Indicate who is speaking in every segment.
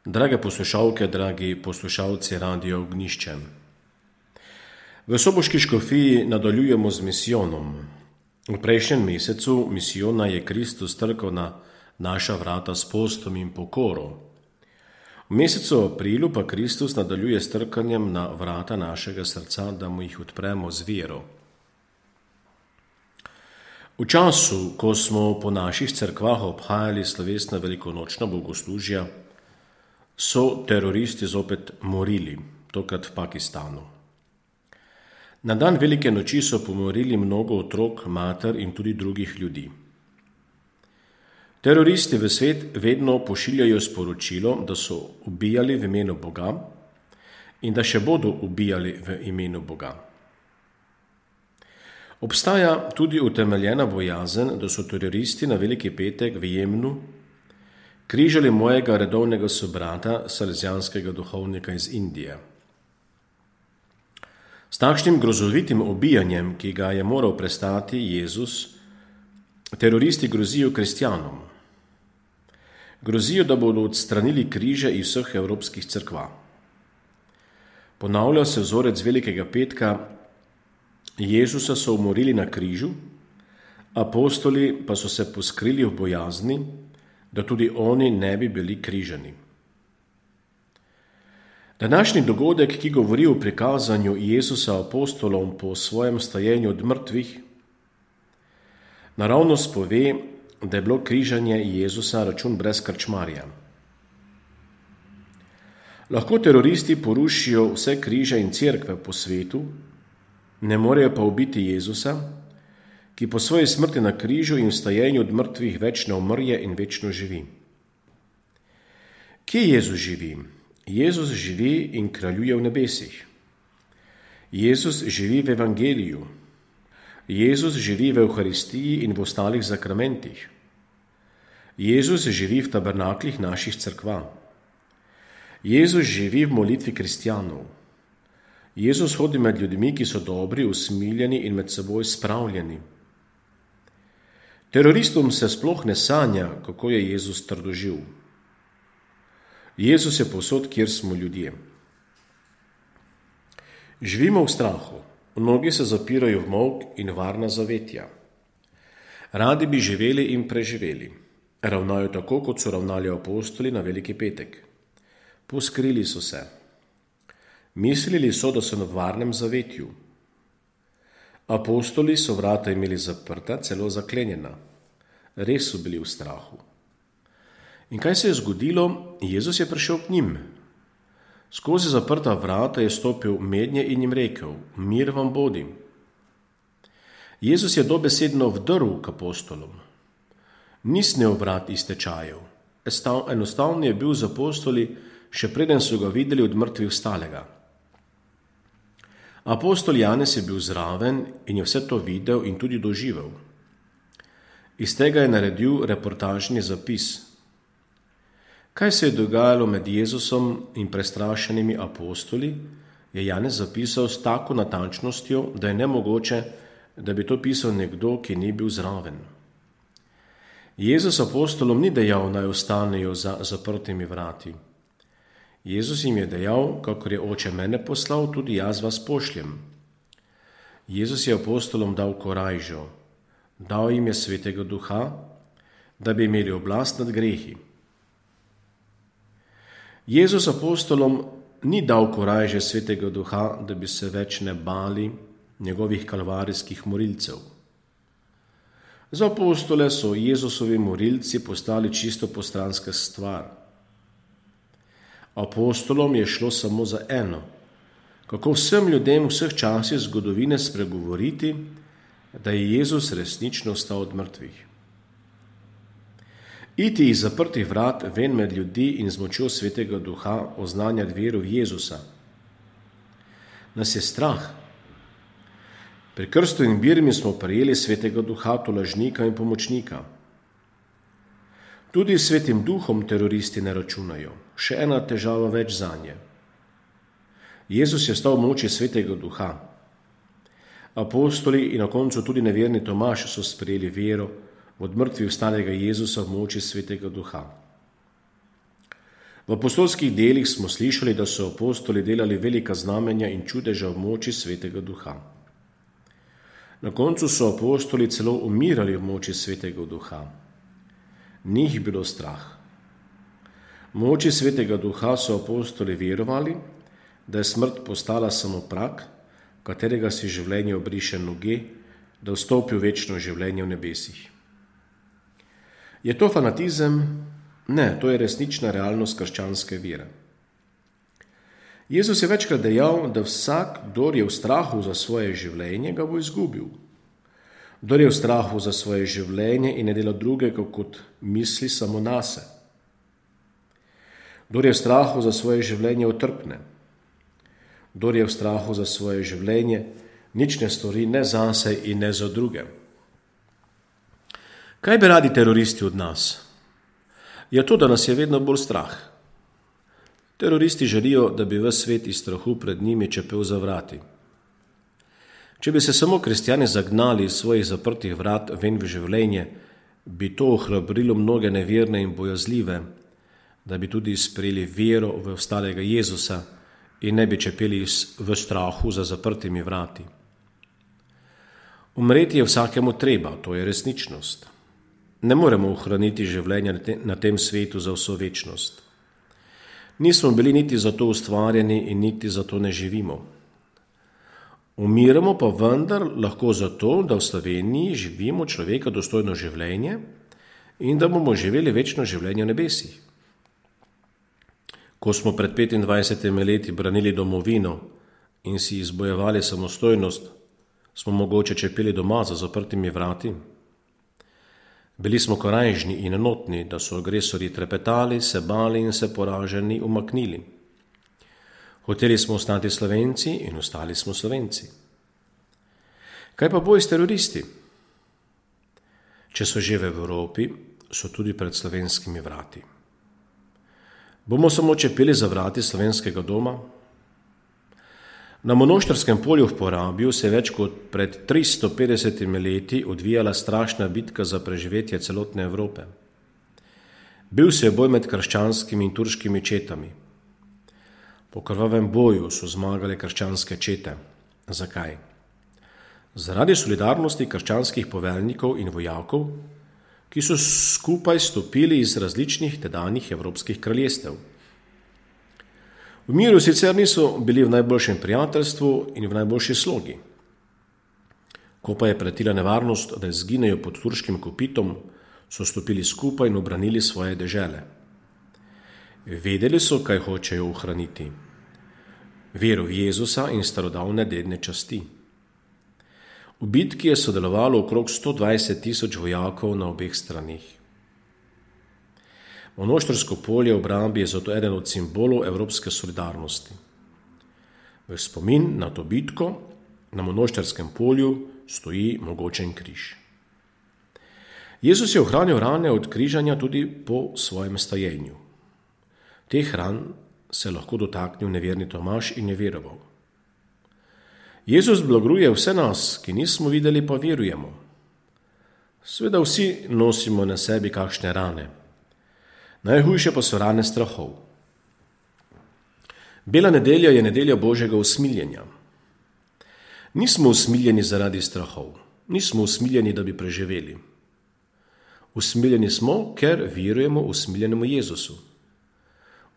Speaker 1: Drage poslušalke, dragi poslušalci Radia Ognjišče. V soboški škofiji nadaljujemo z misijonom. V prejšnjem mesecu misijona je Kristus trkal na naša vrata s postom in pokoro. V mesecu aprilu pa Kristus nadaljuje s trkanjem na vrata našega srca, da mu jih odpremo z vero. V času, ko smo po naših cerkvah obhajali slovesna velikonočna bogoslužja, so teroristi zopet morili, tokrat v Pakistanu. Na dan velike noči so pomorili mnogo otrok, mater in tudi drugih ljudi. Teroristi v svet vedno pošiljajo sporočilo, da so ubijali v imenu Boga in da še bodo ubijali v imenu Boga. Obstaja tudi utemeljena bojazen, da so teroristi na Veliki petek v Jemnu križali mojega redovnega sobrata, salesijanskega duhovnika iz Indije. S takšnim grozovitim ubijanjem, ki ga je moral prestati Jezus, teroristi grozijo kristjanom. Grozijo, da bodo odstranili križe iz vseh evropskih cerkva. Ponavlja se vzorec Velikega petka, Jezusa so umorili na križu, apostoli pa so se poskrili v bojazni, da tudi oni ne bi bili križani. Današnji dogodek, ki govori o prikazanju Jezusa apostolom po svojem stajenju od mrtvih, naravnost pove, da je bilo križanje Jezusa račun brez krčmarja. Lahko teroristi porušijo vse križe in cerkve po svetu, ne morejo pa ubiti Jezusa, ki po svoji smrti na križu in vstajenju od mrtvih večno umrje in večno živi. Kje Jezus živi? Jezus živi in kraljuje v nebesih. Jezus živi v evangeliju. Jezus živi v Evharistiji in v ostalih zakramentih. Jezus živi v tabernaklih naših cerkva. Jezus živi v molitvi kristjanov. Jezus hodi med ljudmi, ki so dobri, usmiljeni in med seboj spravljeni. Teroristom se sploh ne sanja, kako je Jezus trdoživ. Jezus je povsod, kjer smo ljudje. Živimo v strahu, mnogi se zapirajo v molk in varna zavetja. Radi bi živeli in preživeli. Ravnajo tako, kot so ravnali apostoli na Veliki petek. Poskrili so se. Mislili so, da so na varnem zavetju. Apostoli so vrata imeli zaprta, celo zaklenjena. Res so bili v strahu. In kaj se je zgodilo? Jezus je prišel k njim. Skozi zaprta vrata je stopil mednje in jim rekel: mir vam bodi. Jezus je dobesedno vdrl k apostolom. Ni snel vrat iz tečajev. Enostavno je bil z apostoli, še preden so ga videli od mrtvih vstalega. Apostol Janez je bil zraven in je vse to videl in tudi doživel. Iz tega je naredil reportažni zapis. Kaj se je dogajalo med Jezusom in prestrašenimi apostoli, je Janez zapisal s tako natančnostjo, da je nemogoče, da bi to pisal nekdo, ki ni bil zraven. Jezus apostolom ni dejal, naj ostanejo za zaprtimi vrati. Jezus jim je dejal, kakor je Oče mene poslal, tudi jaz vas pošljem. Jezus je apostolom dal korajžo, dal jim je Svetega Duha, da bi imeli oblast nad grehi. Jezus apostolom ni dal korajže Svetega Duha, da bi se več ne bali njegovih kalvarijskih morilcev. Za apostole so Jezusovi morilci postali čisto postranska stvar. Apostolom je šlo samo za eno, kako vsem ljudem vseh časih zgodovine spregovoriti, da je Jezus resnično vstal od mrtvih. Iti iz zaprtih vrat ven med ljudi in z močjo Svetega Duha oznanjati vero v Jezusa. Nas je strah. Pri krstu in birmi smo prejeli Svetega Duha, tolažnika in pomočnika. Tudi Svetim Duhom teroristi ne računajo. Še ena težava več zanje. Jezus je stal v moči Svetega Duha. Apostoli in na koncu tudi neverni Tomaž so sprejeli vero od mrtvih vstalega Jezusa v moči Svetega Duha. V V apostolskih delih smo slišali, da so apostoli delali velika znamenja in čudeža v moči Svetega Duha. Na koncu so apostoli celo umirali v moči Svetega Duha. Ni jih bilo strah. V moči Svetega Duha so apostoli verovali, da je smrt postala samo prak, katerega si življenje obriše noge, da vstopi v večno življenje v nebesih. Je to fanatizem? Ne, to je resnična realnost krščanske vere. Jezus je večkrat dejal, da vsak, kdor je v strahu za svoje življenje, ga bo izgubil. Kdor je v strahu za svoje življenje in ne dela drugega, kot misli samo nase. Kdor je v strahu za svoje življenje, utrpne. Kdor je v strahu za svoje življenje, nič ne stori ne zase in ne za druge. Kaj bi radi teroristi od nas? Je to, da nas je vedno bolj strah. Teroristi želijo, da bi ves svet iz strahu pred njimi čepel za vrati. Če bi se samo kristjani zagnali iz svojih zaprtih vrat ven v življenje, bi to ohrabrilo mnoge neverne in bojazljive, da bi tudi sprejeli vero v ostalega Jezusa in ne bi čepeli v strahu za zaprtimi vrati. Umreti je vsakemu treba, to je resničnost. Ne moremo ohraniti življenja na tem svetu za vso večnost. Nismo bili niti za to ustvarjeni in niti za to ne živimo. Umiramo pa vendar lahko zato, da v Sloveniji živimo človeka dostojno življenje in da bomo živeli večno življenje v nebesih. Ko smo pred 25 leti branili domovino in si izbojevali samostojnost, smo mogoče čepeli doma za zaprtimi vrati. Bili smo korajžni in enotni, da so agresorji trepetali, se bali in se poraženi umaknili. Hoteli smo ostati Slovenci in ostali smo Slovenci. Kaj pa boj s teroristi? Če so že v Evropi, so tudi pred slovenskimi vrati. Bomo samo čepeli za vrati slovenskega doma? Na Monoštrskem polju v Porabju se je več kot pred 350 leti odvijala strašna bitka za preživetje celotne Evrope. Bil se je boj med krščanskimi in turškimi četami. Po krvavem boju so zmagale krščanske čete. Zakaj? Zaradi solidarnosti krščanskih poveljnikov in vojakov, ki so skupaj stopili iz različnih tedanjih evropskih kraljestev. V miru sicer niso bili v najboljšem prijateljstvu in v najboljši slogi. Ko pa je pretila nevarnost, da izginejo pod turškim kopitom, so stopili skupaj in obranili svoje dežele. Vedeli so, kaj hočejo ohraniti. Vero v Jezusa in starodavne dedne časti. V bitki je sodelovalo okrog 120 000 vojakov na obeh stranih. Monoštrsko polje v obrambi je zato eden od simbolov evropske solidarnosti. V spomin na to bitko na Monoštrskem polju stoji mogočen križ. Jezus je ohranil rane od križanja tudi po svojem stajenju. Teh ran se lahko dotaknil neverni Tomaž in je veroval. Jezus blagruje vse nas, ki nismo videli, pa verujemo. Sveda vsi nosimo na sebi kakšne rane. Najhujše pa so rane strahov. Bela nedelja je nedelja Božjega usmiljenja. Nismo usmiljeni zaradi strahov. Nismo usmiljeni, da bi preživeli. Usmiljeni smo, ker verujemo usmiljenemu Jezusu.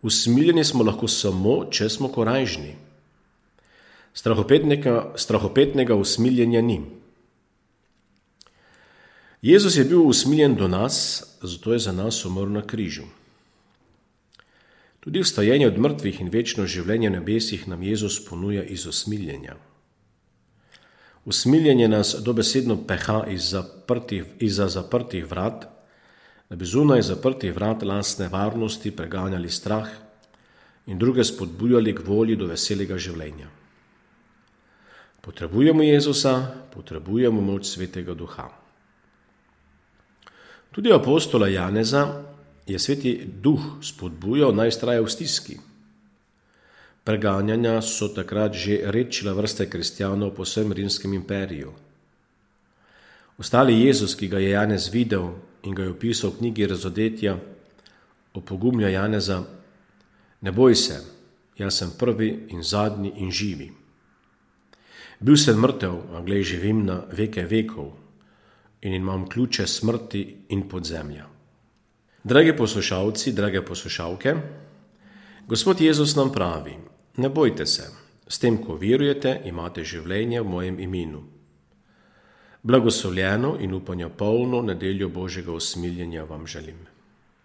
Speaker 1: Usmiljeni smo lahko samo, če smo korajžni. Strahopetnega usmiljenja ni. Jezus je bil usmiljen do nas, zato je za nas umrl na križu. Tudi vstajenje od mrtvih in večno življenje v nebesih nam Jezus ponuja iz usmiljenja. Usmiljenje nas dobesedno peha izza zaprtih vrat, da bi zunaj zaprtih vrat lastne varnosti preganjali strah in druge spodbujali k volji do veselega življenja. Potrebujemo Jezusa, potrebujemo moč Svetega Duha. Tudi apostola Janeza je Sveti Duh spodbujal, naj vztraja v stiski. Preganjanja so takrat že redčila vrste kristjanov po vsem rimskem imperiju. Ostali Jezus, ki ga je Janez videl in ga je opisal v knjigi Razodetja, opogumlja Janeza: Ne boj se, jaz sem prvi in zadnji in živi. Bil sem mrtev, a glej, živim na veke vekov in imam ključe smrti in podzemlja. Dragi poslušalci, drage poslušalke, Gospod Jezus nam pravi, ne bojte se, s tem, ko verujete, imate življenje v mojem imenu. Blagoslovljeno in upanja polno nedeljo Božjega usmiljenja vam želim.